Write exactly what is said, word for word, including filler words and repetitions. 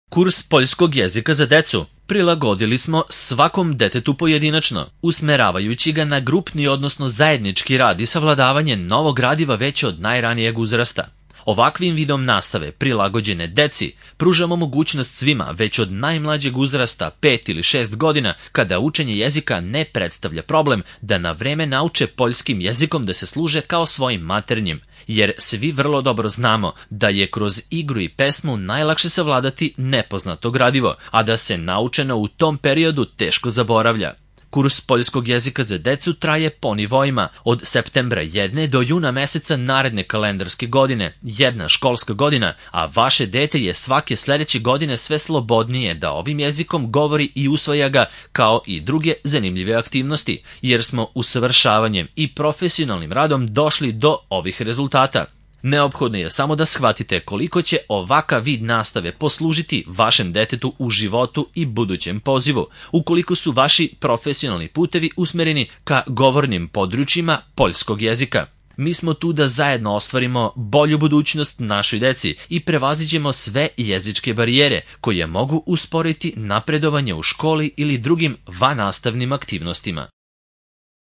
Kurs poljskog jezika za decu prilagodili smo svakom detetu pojedinačno, usmeravajući ga na grupni odnosno zajednički rad i savladavanje novog gradiva već od najranijeg uzrasta. Ovakvim vidom nastave prilagođene deci pružamo mogućnost svima već od najmlađeg uzrasta pet ili šest godina, kada učenje jezika ne predstavlja problem, da na vreme nauče poljskim jezikom da se služe kao svojim maternjim, jer svi vrlo dobro znamo da je kroz igru i pesmu najlakše savladati nepoznato gradivo, a da se naučeno u tom periodu teško zaboravlja. Kurs poljskog jezika za decu traje po nivoima od septembra jedne do juna meseca naredne kalendarske godine, jedna školska godina, a vaše dete je svake sledeće godine sve slobodnije da ovim jezikom govori i usvaja ga kao i druge zanimljive aktivnosti, jer smo usavršavanjem i profesionalnim radom došli do ovih rezultata. Neophodno je samo da shvatite koliko će ovakav vid nastave poslužiti vašem detetu u životu i budućem pozivu, ukoliko su vaši profesionalni putevi usmereni ka govornim područjima poljskog jezika. Mi smo tu da zajedno ostvarimo bolju budućnost našoj deci i prevaziđemo sve jezičke barijere koje mogu usporiti napredovanje u školi ili drugim vannastavnim aktivnostima.